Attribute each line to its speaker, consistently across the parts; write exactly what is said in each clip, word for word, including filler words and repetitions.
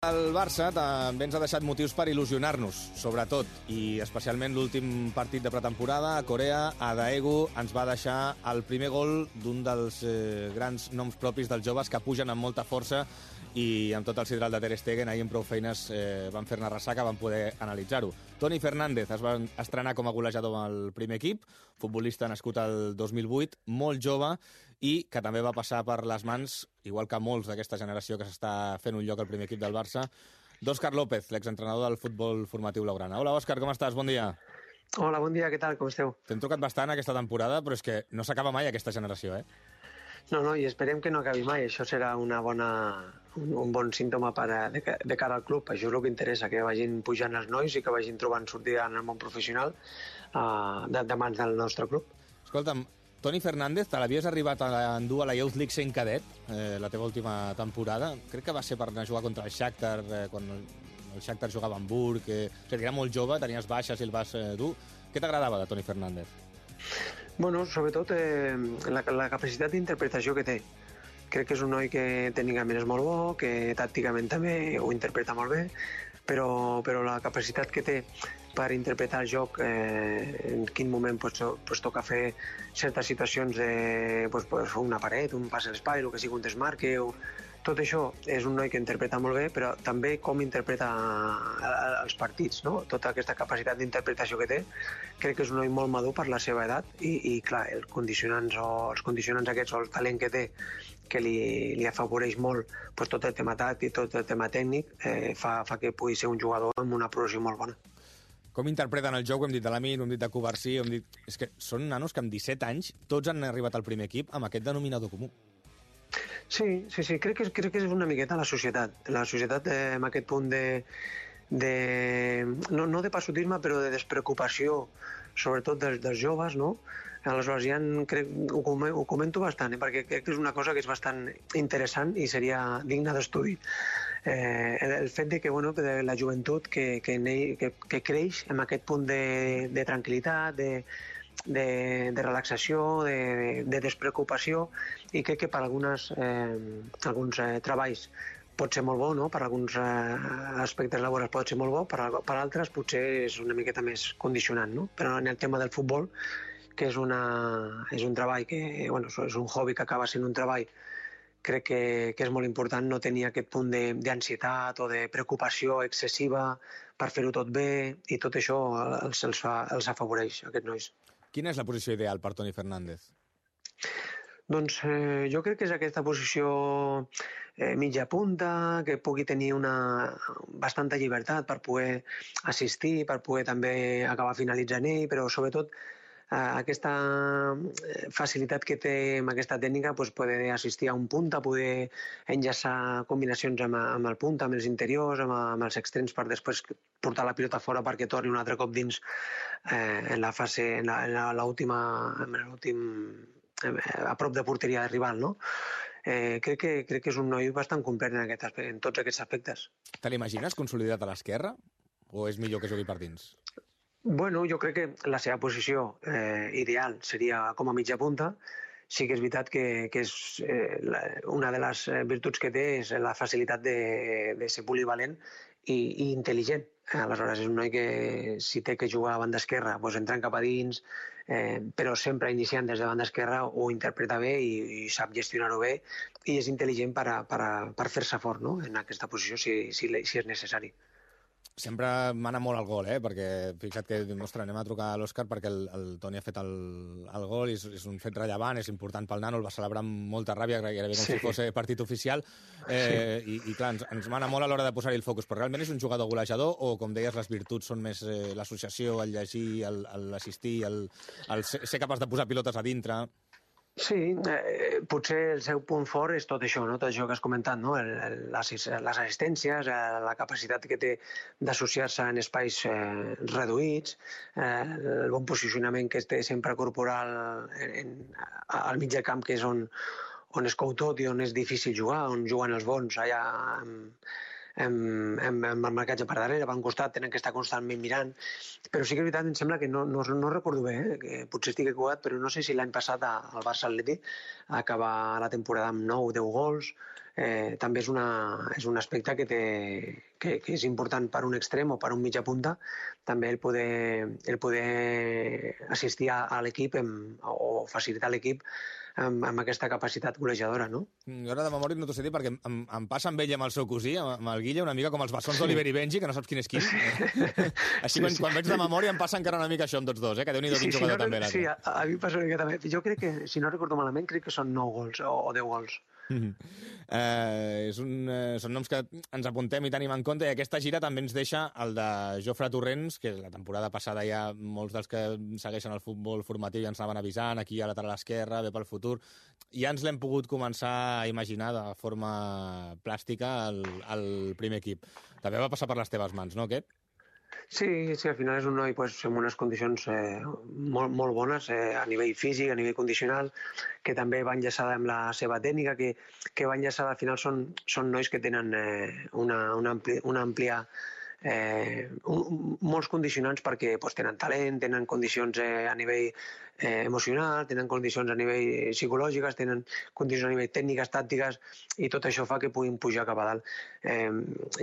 Speaker 1: El Barça també ens ha deixat motius per il·lusionar-nos, sobretot, i especialment l'últim partit de pretemporada a Corea, a Daegu, ens va deixar el primer gol d'un dels eh, grans noms propis dels joves que pugen amb molta força i amb tot el sidral de Ter Stegen, ahir amb prou feines eh, van fer-ne ressaca, van poder analitzar-ho. Toni Fernández es va estrenar com a golejador amb el primer equip, futbolista nascut al dos mil vuit, molt jove, i que també va passar per les mans, igual que molts d'aquesta generació que s'està fent un lloc al primer equip del Barça, d'Òscar López, l'exentrenador del futbol formatiu blaugrana. Hola, Òscar, com estàs? Bon dia.
Speaker 2: Hola, bon dia, què tal? Com esteu?
Speaker 1: T'hem trucat bastant aquesta temporada, però és que no s'acaba mai aquesta generació, eh?
Speaker 2: No, no, i esperem que no acabi mai. Això serà una bona, un, un bon símptoma per a, de, de cara al club. Això és el que interessa, que vagin pujant els nois i que vagin trobant sortida en el món professional uh, de, de mans del nostre club.
Speaker 1: Escolta'm, Toni Fernández, te l'havies arribat a endur a la Youth League sent cadet, eh, la teva última temporada. Crec que va ser per anar a jugar contra el Shakhtar, eh, quan el, el Shakhtar jugava a Hamburg. Eh, o sigui, era molt jove, tenies baixes i el vas eh, dur. Què t'agradava de Toni Fernández?
Speaker 2: Bueno, sobretot eh, la, la capacitat d'interpretació que té. Crec que és un noi que tècnicament és molt bo, que tàcticament també ho interpreta molt bé, però, però la capacitat que té per interpretar el joc, eh, en quin moment pues, pues, toca fer certes situacions de pues, pues, una paret, un pas a l'espai, el que sigui un desmarque, o... tot això és un noi que interpreta molt bé, però també com interpreta els partits, no? Tota aquesta capacitat d'interpretació que té, crec que és un noi molt madur per la seva edat i, i clar, els condicionants, o, els condicionants aquests o el talent que té, que li, li afavoreix molt pues, tot el tema tàctic, tot el tema tècnic, eh, fa, fa que pugui ser un jugador amb una progressió molt bona.
Speaker 1: Com interpreten el joc? Ho hem dit de l'Amin, ho hem dit de Covarsí, ho hem dit... És que són nanos que amb disset anys tots han arribat al primer equip amb aquest denominador comú.
Speaker 2: Sí, sí, sí, crec que, crec que és una miqueta la societat. La societat eh, amb aquest punt de... de no, no de passotisme, però de despreocupació, sobretot dels, dels joves, no? Aleshores, ja en, crec, ho, ho comento bastant, eh, perquè crec que és una cosa que és bastant interessant i seria digna d'estudi. Eh, el, el fet de que, bueno, de la joventut que, que, que, que creix amb aquest punt de, de tranquil·litat, de De, de relaxació, de, de despreocupació, i crec que per algunes, eh, alguns eh, treballs pot ser molt bo, no? Per alguns eh, aspectes laborals pot ser molt bo, per, per altres potser és una miqueta més condicionant, no? Però en el tema del futbol, que és, una, és un treball que, bueno, és un hobby que acaba sent un treball, crec que, que és molt important no tenir aquest punt d'ansietat o de preocupació excessiva per fer-ho tot bé, i tot això els, els, fa, els afavoreix, aquests nois.
Speaker 1: Quina és la posició ideal per Toni Fernández?
Speaker 2: Doncs eh, jo crec que és aquesta posició eh, mitja punta, que pugui tenir una bastanta llibertat per poder assistir, per poder també acabar finalitzant ell, però sobretot eh, aquesta facilitat que té amb aquesta tècnica, pues, poder assistir a un punta, poder enllaçar combinacions amb, amb el punta, amb els interiors, amb, amb els extrems, per després portar la pilota fora perquè torni un altre cop dins eh, en la fase, en l'última, en l'últim, a prop de porteria de rival, no? Eh, crec, que, crec que és un noi bastant complet en, aquest, en tots aquests aspectes.
Speaker 1: Te l'imagines consolidat a l'esquerra? O és millor que jugui per dins?
Speaker 2: Bueno, jo crec que la seva posició eh, ideal seria com a mitja punta. Sí que és veritat que, que és, eh, la, una de les virtuts que té és la facilitat de, de ser polivalent i, i intel·ligent. Aleshores, és un noi que si té que jugar a banda esquerra, doncs entrant cap a dins, eh, però sempre iniciant des de banda esquerra, ho interpreta bé i, i sap gestionar-ho bé, i és intel·ligent per, a, per, a, per fer-se fort, no?, en aquesta posició, si, si, si és necessari.
Speaker 1: Sempre mana molt el gol, eh? Perquè fixa't que, ostres, anem a trucar a l'Òscar perquè el, el Toni ha fet el, el gol, és, és un fet rellevant, és important pel nano, el va celebrar amb molta ràbia, gairebé com sí. si fos partit oficial, eh, sí. i, i clar, ens, ens mana molt a l'hora de posar-hi el focus, però realment és un jugador golejador o, com deies, les virtuts són més eh, l'associació, el llegir, l'assistir, el, el ser, ser capaç de posar pilotes a dintre...
Speaker 2: Sí, eh, potser el seu punt fort és tot això, no? Tot això que has comentat, no? El, el, les, les assistències, eh, la capacitat que té d'associar-se en espais eh, reduïts, eh, el bon posicionament que té sempre corporal en, en, al mig del camp, que és on, on es cou tot i on és difícil jugar, on juguen els bons, allà amb, amb, amb, amb el marcatge per darrere, per un costat, tenen que estar constantment mirant, però sí que és veritat, em sembla que no, no, no recordo bé, eh? Que potser estic equivocat, però no sé si l'any passat al Barça Atleti acabar la temporada amb nou o deu gols, eh, també és, una, és un aspecte que, té, que, que és important per un extrem o per un mitja punta, també el poder, el poder assistir a, a l'equip o facilitar l'equip amb, amb aquesta capacitat golejadora, no?
Speaker 1: Jo ara de memòria no t'ho sé dir perquè em, em passa amb ell i amb el seu cosí, amb el Guilla, una mica com els bessons d'Oliver i Benji, que no saps quin és quin. Així quan, quan veig de memòria em passa encara una mica això amb tots dos, eh? Que Déu-n'hi-do quin jugador també.
Speaker 2: Sí, a, a mi passa una mica també. Jo crec que, si no recordo malament, crec que són nou gols o, o deu gols.
Speaker 1: Mm-hmm. eh, és un, eh, són noms que ens apuntem i tenim en compte, i aquesta gira també ens deixa el de Jofre Torrents, que la temporada passada ja molts dels que segueixen el futbol formatiu ja ens anaven avisant, aquí a lateral esquerra, bé pel futur, ja ens l'hem pogut començar a imaginar de forma plàstica al, al primer equip. També va passar per les teves mans, no, aquest?
Speaker 2: Sí, sí, al final és un noi pues, amb unes condicions eh, molt, molt bones eh, a nivell físic, a nivell condicional, que també va enllaçada amb la seva tècnica, que, que va enllaçada, al final són, són nois que tenen eh, una, una, ampli, una àmplia eh, un, molts condicionants perquè pues, tenen talent, tenen condicions eh, a nivell eh, emocional, tenen condicions a nivell psicològiques, tenen condicions a nivell tècniques, tàctiques, i tot això fa que puguin pujar cap a dalt. Eh,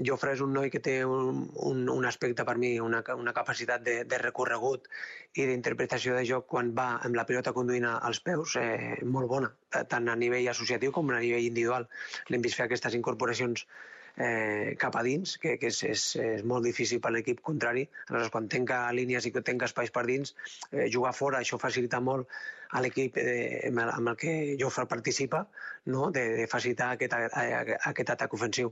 Speaker 2: Jofre és un noi que té un, un, un aspecte per mi, una, una capacitat de, de recorregut i d'interpretació de joc quan va amb la pilota conduint als peus eh, molt bona, tant a nivell associatiu com a nivell individual. L'hem vist fer aquestes incorporacions Eh, cap a dins, que, que és, és, és molt difícil per l'equip contrari. Aleshores, quan tenca línies i que tenca espais per dins, eh, jugar fora, això facilita molt a l'equip eh, amb el que Jofre participa, no? de, de facilitar aquest, aquest atac ofensiu.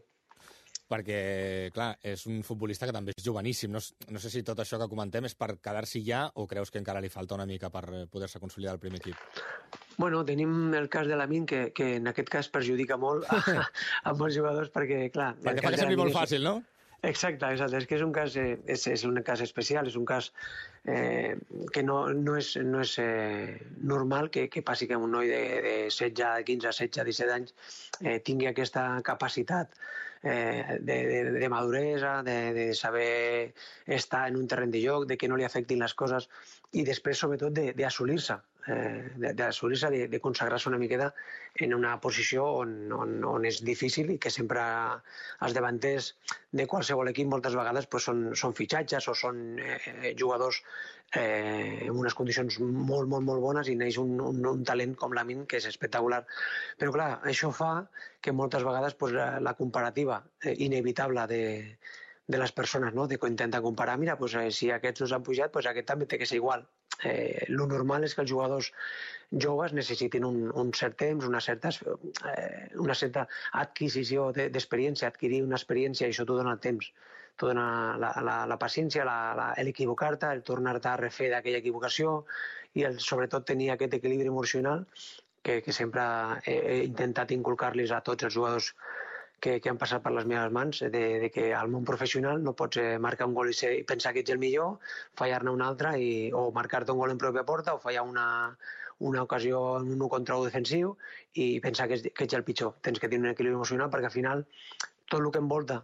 Speaker 1: Perquè, clar, és un futbolista que també és joveníssim. No, no sé si tot això que comentem és per quedar-s'hi ja o creus que encara li falta una mica per poder-se consolidar al primer equip?
Speaker 2: Bueno, tenim el cas de Lamine, que, que en aquest cas perjudica molt a, a molts jugadors, perquè, clar...
Speaker 1: Perquè fa que sembli molt fàcil, no?
Speaker 2: Exacte, exacte. És que és un cas, eh, és, és un cas especial, és un cas eh, que no, no és, no és eh, normal que, que passi que un noi de, de setze, quinze, setze, disset anys eh, tingui aquesta capacitat eh, de, de, de maduresa, de, de saber estar en un terreny de joc, de que no li afectin les coses i després, sobretot, d'assolir-se. Eh, d'assolir-se, de, de consagrar-se una miqueta en una posició on, on, on és difícil i que sempre els davanters de qualsevol equip moltes vegades pues, són, són fitxatges o són eh, jugadors eh, en unes condicions molt, molt, molt bones i neix un, un, un talent com Lamine que és espectacular. Però clar, això fa que moltes vegades pues, la, la comparativa eh, inevitable de de les persones, no? De que intenta comparar, mira, pues, eh, si aquests no s'han pujat, pues aquest també té que ser igual. Eh, lo normal és que els jugadors joves necessitin un, un cert temps, una certa, eh, una certa adquisició d'experiència, adquirir una experiència, i això t'ho dona el temps. T'ho dona la, la, la paciència, l'equivocar-te, el tornar-te a refer d'aquella equivocació i el, sobretot tenir aquest equilibri emocional que, que sempre he, he intentat inculcar-los a tots els jugadors que, que han passat per les meves mans, de, de que al món professional no pots eh, marcar un gol i, ser, i pensar que ets el millor, fallar-ne un altre, i, o marcar-te un gol en pròpia porta, o fallar una, una ocasió en un u contra u defensiu i pensar que, és, que ets el pitjor. Tens que tenir un equilibri emocional perquè al final tot el que envolta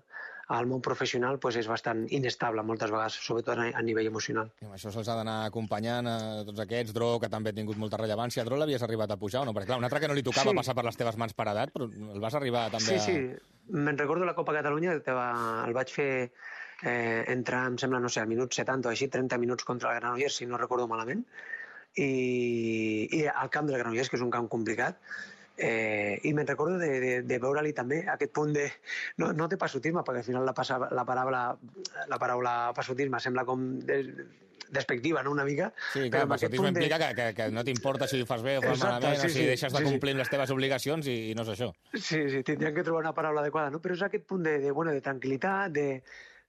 Speaker 2: al món professional pues, és bastant inestable moltes vegades, sobretot a nivell emocional.
Speaker 1: I amb això se'ls ha d'anar acompanyant a tots aquests. Dro, que també ha tingut molta rellevància. Dro l'havies arribat a pujar o no? Perquè clar, un altre que no li tocava sí. passar per les teves mans per edat, però el vas arribar també
Speaker 2: sí,
Speaker 1: a...
Speaker 2: Sí, sí. Me'n recordo la Copa Catalunya, que va, el vaig fer eh, entrar, em sembla, no sé, al minut setanta o així, trenta minuts contra el Granollers, si no recordo malament, i, i al camp del Granollers, que és un camp complicat, Eh, i me'n recordo de, de, de veure-li també aquest punt de... No, no de passotisme, perquè al final la, passa, la, paraula, la paraula passotisme sembla com de, despectiva, no?, una mica.
Speaker 1: Sí, clar, passotisme implica de... que, que, que no t'importa si ho fas bé o fas Exacte, malament, sí, o si sí, deixes de sí, complir sí. les teves obligacions i, i no és això.
Speaker 2: Sí, sí, tindríem que trobar una paraula adequada, no? Però és aquest punt de, de, bueno, de tranquil·litat, de...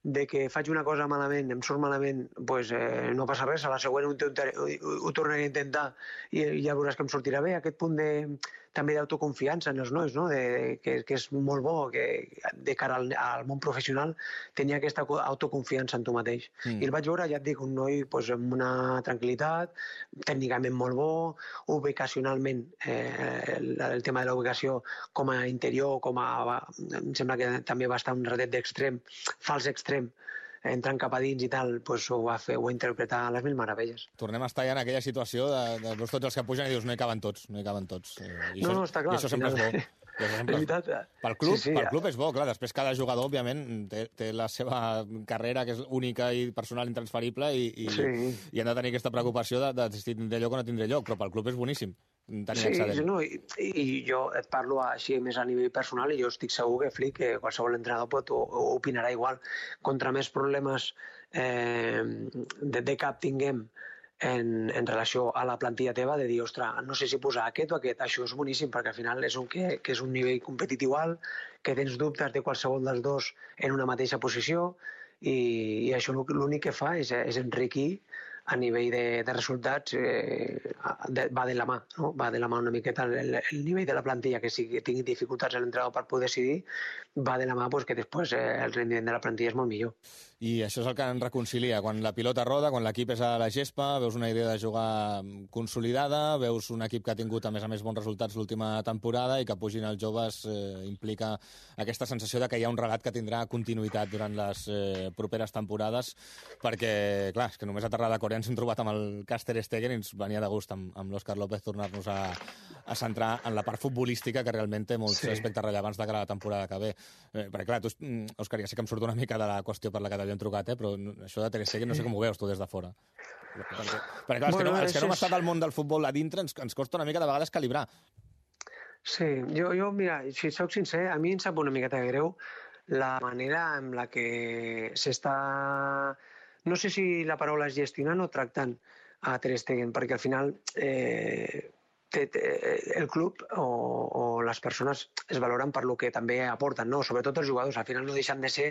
Speaker 2: de que faig una cosa malament, em surt malament, pues, eh, no passa res, a la següent ho, ho, ho tornaré a intentar i ja veuràs que em sortirà bé. Aquest punt de, també d'autoconfiança en els nois, no? de, que, que és molt bo, que de cara al, al món professional tenia aquesta autoconfiança en tu mateix. Mm. I el vaig veure, ja et dic, un noi pues, amb una tranquil·litat, tècnicament molt bo, ubicacionalment, eh, el, el tema de la ubicació com a interior, com a... em sembla que també va estar un ratet d'extrem, fals extrem, entrant cap a dins i tal, doncs ho va fer, ho va interpretar a les mil meravelles.
Speaker 1: Tornem a estar ja en aquella situació de, de veus tots els que pugen i dius no hi caben tots, no hi caben tots. I
Speaker 2: no,
Speaker 1: això,
Speaker 2: no, està clar.
Speaker 1: I això sempre
Speaker 2: final...
Speaker 1: és bo. I això sempre és
Speaker 2: veritat,
Speaker 1: pel club,
Speaker 2: sí, sí,
Speaker 1: pel
Speaker 2: ja.
Speaker 1: club és bo, clar, després cada jugador, òbviament, té, té la seva carrera, que és única i personal intransferible, i, i, sí. i han de tenir aquesta preocupació de, de si tindré lloc o no tindré lloc, però pel club és boníssim tenir
Speaker 2: sí,
Speaker 1: excedent.
Speaker 2: Sí, no, i, i jo et parlo així més a nivell personal i jo estic segur que Flick, que qualsevol entrenador pot, o, o opinarà igual. Contra més problemes eh, de, de cap tinguem en, en relació a la plantilla teva, de dir, ostres, no sé si posar aquest o aquest, això és boníssim, perquè al final és un, que, que és un nivell competitiu alt, que tens dubtes de qualsevol dels dos en una mateixa posició, i, i això l'únic que fa és, és enriquir a nivell de, de resultats, eh, de, va de la mà, no? Va de la mà una miqueta el, el nivell de la plantilla, que si tingui dificultats en l'entrenador per poder decidir, va de la mà pues, que després eh, el rendiment de la plantilla és molt millor.
Speaker 1: I això és el que ens reconcilia. Quan la pilota roda, quan l'equip és a la gespa, veus una idea de jugar consolidada, veus un equip que ha tingut, a més a més, bons resultats l'última temporada i que pugin els joves eh, implica aquesta sensació de que hi ha un relat que tindrà continuïtat durant les eh, properes temporades, perquè, clar, és que només aterrar de Corea ens hem trobat amb el cas Ter Stegen i ens venia de gust amb, amb l'Òscar López tornar-nos a, a centrar en la part futbolística, que realment té molts sí. aspectes rellevants de cara a la temporada que ve. Eh, perquè, clar, tu, Òscar, ja sé que em surt una mica de la qüestió per la que t'havien trucat, eh, però això de Ter Stegen no sé com ho veus tu des de fora. Perquè, perquè clar, els, bueno, que no, els que no hem estat al món del futbol a dintre ens, ens costa una mica de vegades calibrar.
Speaker 2: Sí, jo, jo mira, si soc sincer, a mi em sap una miqueta greu la manera en la que s'està... No sé si la paraula és gestionant o tractant a Ter Stegen, perquè al final eh, té, té, el club o, o les persones es valoren per lo que també aporten, no? Sobretot els jugadors, al final no deixen de ser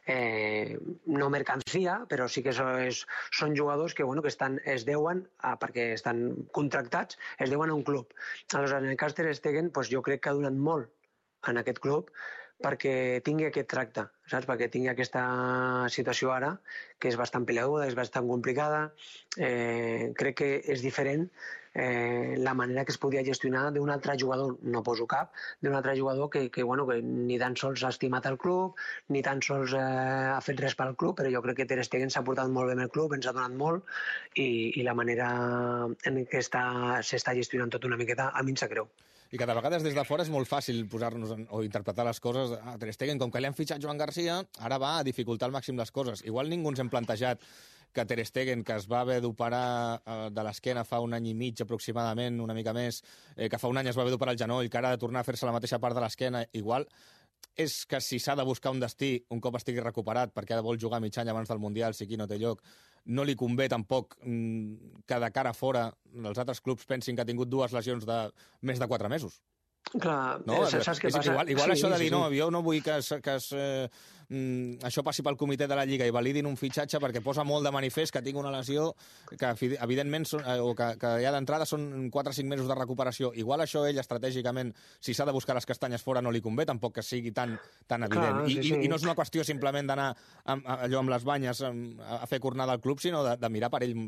Speaker 2: eh, no mercancia, però sí que és, són jugadors que, bueno, que estan, es deuen, a, perquè estan contractats, es deuen a un club. Aleshores, en el cas Ter Stegen, doncs jo crec que ha donat molt en aquest club perquè tingui aquest tracte, saps? Perquè tingui aquesta situació ara, que és bastant peleaguda, és bastant complicada. Eh, crec que és diferent eh, la manera que es podia gestionar d'un altre jugador, no poso cap, d'un altre jugador que, que, bueno, que ni tan sols ha estimat el club, ni tan sols eh, ha fet res pel club, però jo crec que Ter Stegen s'ha portat molt bé amb el club, ens ha donat molt, i, i la manera en què s'està gestionant tot una miqueta, a mi em sap greu.
Speaker 1: I que de vegades des de fora és molt fàcil posar-nos o interpretar les coses. Ah, Ter Stegen, com que li han fitxat Joan Garcia, ara va a dificultar al màxim les coses. Igual ningú ens hem plantejat que Ter Stegen, que es va haver d'operar eh, de l'esquena fa un any i mig aproximadament, una mica més, eh, que fa un any es va haver d'operar el genoll, que ara ha de tornar a fer-se la mateixa part de l'esquena, igual és que si s'ha de buscar un destí un cop estigui recuperat perquè vol jugar mig any abans del Mundial, si aquí no té lloc, no li convé tampoc mm, que de cara a fora els altres clubs pensin que ha tingut dues lesions de més de quatre mesos.
Speaker 2: Clar,
Speaker 1: no?
Speaker 2: saps què
Speaker 1: és,
Speaker 2: passa?
Speaker 1: Igual, igual
Speaker 2: sí,
Speaker 1: això de dir,
Speaker 2: sí, sí.
Speaker 1: no, jo no vull que, es, que es, eh, mm, això passi pel comitè de la Lliga i validin un fitxatge perquè posa molt de manifest que tinc una lesió que evidentment són, eh, o que, que ja d'entrada són quatre o cinc mesos de recuperació. Igual això ell estratègicament, si s'ha de buscar les castanyes fora no li convé, tampoc que sigui tan, tan evident. Clar, sí, I, sí. I, I no és una qüestió simplement d'anar amb, allò amb les banyes a, a fer cornada al club, sinó de, de mirar per ell,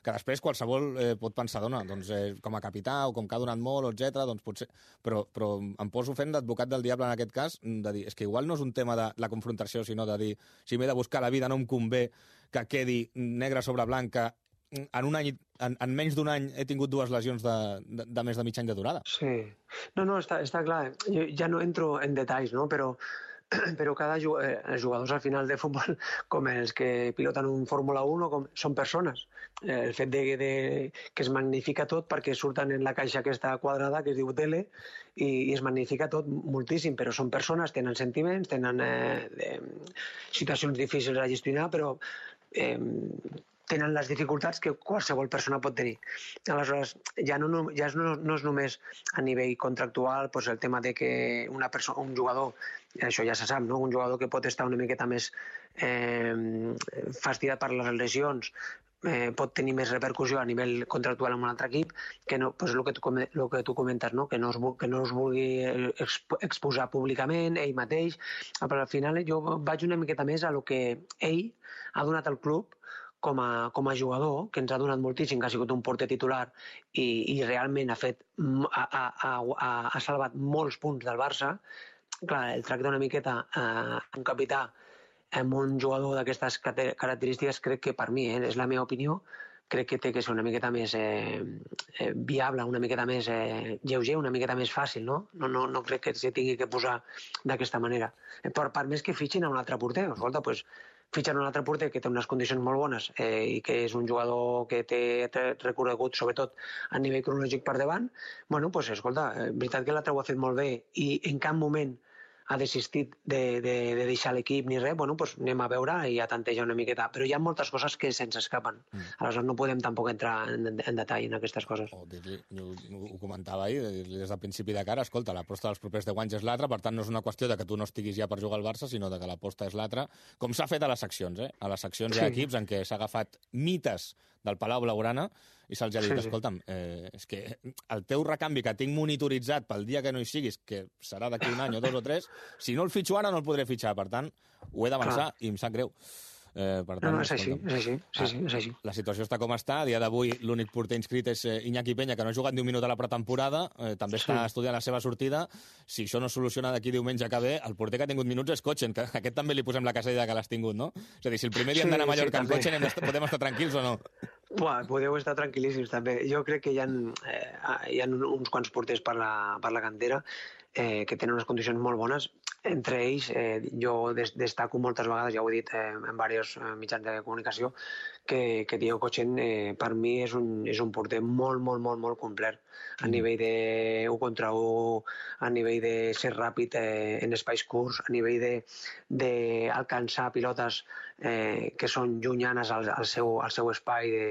Speaker 1: que després qualsevol eh, pot pensar, dona, doncs, eh, com a capità o com que ha donat molt, etcètera, doncs potser... Però, però em poso fent d'advocat del diable en aquest cas, de dir, és que igual no és un tema de la confrontació, sinó de dir, si m'he de buscar la vida no em convé que quedi negre sobre blanc, que en un any, en, en menys d'un any he tingut dues lesions de, de, de més de mig any de durada.
Speaker 2: Sí. No, no, està, està clar. Jo ja no entro en detalls, no? Però però cada jugador, eh, els jugadors al final de futbol, com els que piloten un Fórmula uno, com, són persones. Eh, el fet de, de, que es magnifica tot perquè surten en la caixa aquesta quadrada que es diu tele i, i es magnifica tot moltíssim, però són persones, tenen sentiments, tenen eh, eh, situacions difícils a gestionar, però eh, tenen les dificultats que qualsevol persona pot tenir. Aleshores, ja no, ja no, no és només a nivell contractual doncs el tema de que una persona, un jugador, això ja se sap, no? Un jugador que pot estar una miqueta més eh, fastidiat per les lesions eh, pot tenir més repercussió a nivell contractual amb un altre equip, que no, pues, el, que tu, el que tu comentes, no? que, no es, que no es vulgui exposar públicament, ell mateix, però al final jo vaig una miqueta més a lo que ell ha donat al club com a, com a jugador, que ens ha donat moltíssim, que ha sigut un porter titular i, i realment ha fet ha, ha, ha, ha salvat molts punts del Barça. Clar, el tracte una miqueta a un capità amb un jugador d'aquestes característiques, crec que per mi, eh, és la meva opinió, crec que té que ser una miqueta més eh, eh, viable, una miqueta més eh, lleuger, una miqueta més fàcil, no? No, no, no crec que s'hi tingui que posar d'aquesta manera. Per, per més que fitxin a un altre porter, escolta, doncs fitxen un altre porter que té unes condicions molt bones eh, i que és un jugador que té recorregut, sobretot a nivell cronològic per davant, bueno, doncs escolta, és veritat que l'altre ho ha fet molt bé i en cap moment ha desistit de, de, de deixar l'equip ni res, bueno, doncs anem a veure i a tantejar una miqueta. Però hi ha moltes coses que se'ns escapen. Mm. Aleshores no podem tampoc entrar en, en detall en aquestes coses.
Speaker 1: O dir-li, ho, ho comentava ahir, dir-li des del principi de cara, escolta, l'aposta dels propers deu anys és l'altra, per tant no és una qüestió de que tu no estiguis ja per jugar al Barça, sinó de que l'aposta és l'altra, com s'ha fet a les seccions, eh? A les seccions sí. Hi ha equips en què s'ha agafat mites del Palau Blaugrana i se'ls ha dit, sí, sí. escolta'm, eh, és que el teu recanvi que tinc monitoritzat pel dia que no hi siguis, que serà d'aquí un any o dos o tres, si no el fitxo ara no el podré fitxar, per tant, ho he d'avançar i em sap greu. Eh, per tant,
Speaker 2: no, no, és així, és així, sí, sí, és així.
Speaker 1: La situació està com està. A dia d'avui l'únic porter inscrit és Iñaki Peña, que no ha jugat ni un minut a la pretemporada, eh, també està sí. estudiant la seva sortida. Si això no es soluciona d'aquí diumenge que ve, el porter que ha tingut minuts és Cotxen, que a aquest també li posem la casella que l'has tingut, no? És a dir, si el primer dia sí, hem d'anar a Mallorca sí, amb Cotxen, hem podem estar tranquils o no?
Speaker 2: Buah, podeu estar tranquil·líssims també. Jo crec que hi ha, eh, hi ha uns quants porters per la, per la cantera eh, que tenen unes condicions molt bones. Entre ells, eh, jo des, destaco moltes vegades, ja ho he dit eh, en diversos eh, mitjans de comunicació, que, que Diego Cotxen eh, per mi és un, és un porter molt, molt, molt, molt complet. A nivell de u contra u, a nivell de ser ràpid eh, en espais curts, a nivell d'alcançar pilotes eh, que són llunyanes al, al, seu, al seu espai de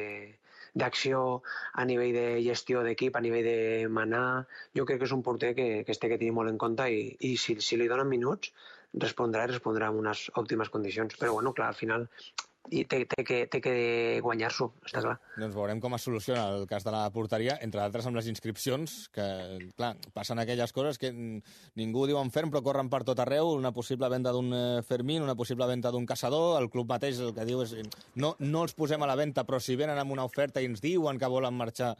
Speaker 2: d'acció, a nivell de gestió d'equip, a nivell de manar. Jo crec que és un porter que, que es té que tenir molt en compte i, i si, si li donen minuts respondrà i respondrà en unes òptimes condicions. Però bueno, clar, al final i té, té, que, té que guanyar-s'ho, està clar.
Speaker 1: Doncs veurem com es soluciona el cas de la porteria, entre d'altres amb les inscripcions, que, clar, passen aquelles coses que ningú diu en ferm, però corren per tot arreu, una possible venda d'un Fermín, una possible venda d'un Caçador, el club mateix el que diu és no, no els posem a la venda, però si venen amb una oferta i ens diuen que volen marxar,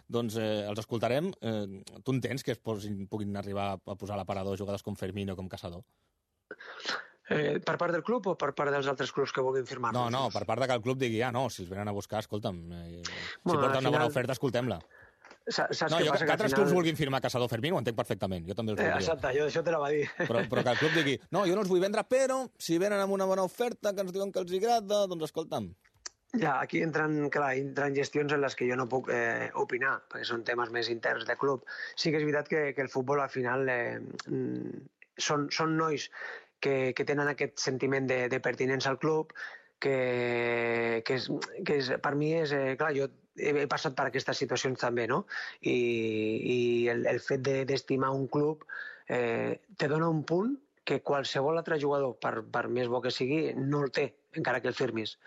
Speaker 1: doncs eh, els escoltarem. Eh, tu entens que es posin, puguin arribar a posar a l'aparador jugadors com Fermín o com Caçador?
Speaker 2: Eh, per part del club o per part dels altres clubs que vulguin firmar-nos?
Speaker 1: No, no, per part de que el club digui, ah, no, si els venen a buscar, escolta'm, eh, si bueno, porten una final... bona oferta, escoltem-la.
Speaker 2: Saps
Speaker 1: no,
Speaker 2: jo,
Speaker 1: que, que, que altres
Speaker 2: final...
Speaker 1: clubs vulguin firmar Caçador Fermín, ho entenc perfectament, jo també els voldria.
Speaker 2: Eh, exacte, jo això te la va dir.
Speaker 1: Però, però que el club digui, no, jo no els vull vendre, però si venen amb una bona oferta, que ens diuen que els agrada, doncs escolta'm.
Speaker 2: Ja, aquí entren, clar, entren gestions en les que jo no puc eh, opinar, perquè són temes més interns de club. Sí que és veritat que, que el futbol al final eh, són, són nois que, que tenen aquest sentiment de, de pertinença al club, que, que, és, que és, per mi és... Eh, clar, jo he, he passat per aquestes situacions també, no? I, i el, el fet d'estimar un club eh, te dona un punt que qualsevol altre jugador, per, per més bo que sigui, no el té, encara que el firmis.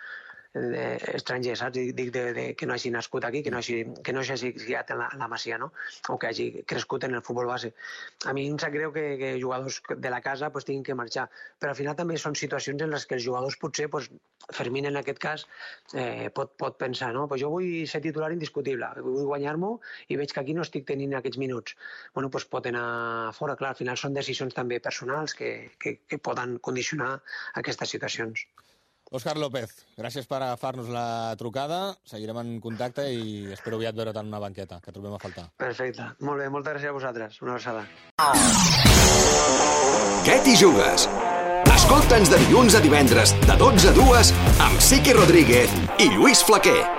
Speaker 2: Eh, estranger, saps? Dic de, de, que no hagi nascut aquí, que no hagi, que no hagi criat en la, en la Masia, no? O que hagi crescut en el futbol base. A mi em sap greu que, que jugadors de la casa pues, tinguin que marxar, però al final també són situacions en les que els jugadors potser, pues, Fermín en aquest cas, eh, pot, pot pensar, no? Pues jo vull ser titular indiscutible, vull guanyar-m'ho i veig que aquí no estic tenint aquests minuts. Bueno, pues pot anar fora, clar, al final són decisions també personals que, que, que poden condicionar aquestes situacions.
Speaker 1: Òscar López, gràcies per agafar-nos la trucada. Seguirem en contacte i espero aviat veure't en una banqueta, que trobem a faltar.
Speaker 2: Perfecte. Molt bé, moltes gràcies a vosaltres. Una abraçada.
Speaker 3: Què t'hi jugues? Escolta'ns de dilluns a divendres, de dotze a dues, amb Siqui Rodríguez i Lluís Flaquer.